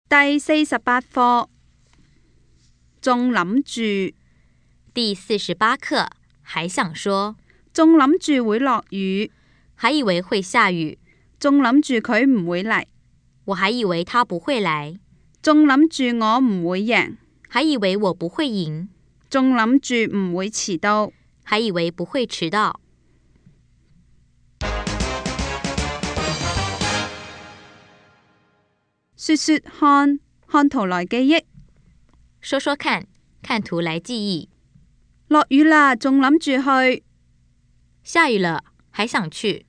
第48課，仲諗住，第48課，還想說，仲諗住會落雨，還以為會下雨，仲諗住佢唔會嚟，我還以為他不會來，仲諗住我唔會贏，還以為我不會贏，仲諗住唔會遲到，還以為不會遲到。說說看，看圖來記憶。說說看，看圖來記憶。落雨啦，仲諗住去。下雨了，還想去。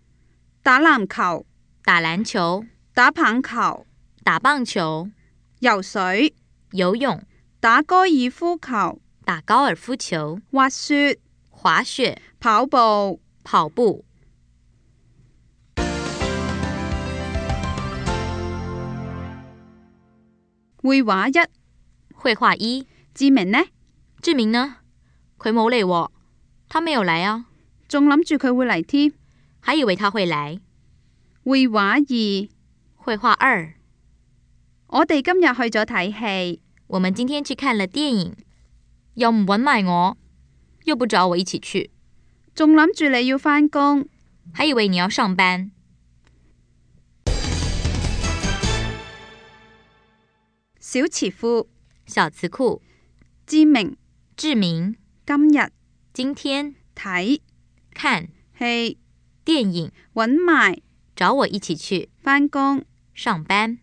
打籃球，打籃球，打棒球，打棒球，游水，游泳，打高爾夫球，打高爾夫球，滑雪，滑雪，跑步，跑步。繪畫一，繪畫一，志明呢？志明呢？佢冇嚟喎，他沒有來啊。仲諗住佢會嚟添，還以為他會來。繪畫二，繪畫二，我哋今日去咗睇戲，我們今天去看了電影，又唔搵埋我，又不找我一起去，仲諗住你要返工，還以為你要上班。小詞庫，小詞庫，志明，志明，今日，今天，睇，看，戲，電影，搵埋，找我一起去，返工，上班。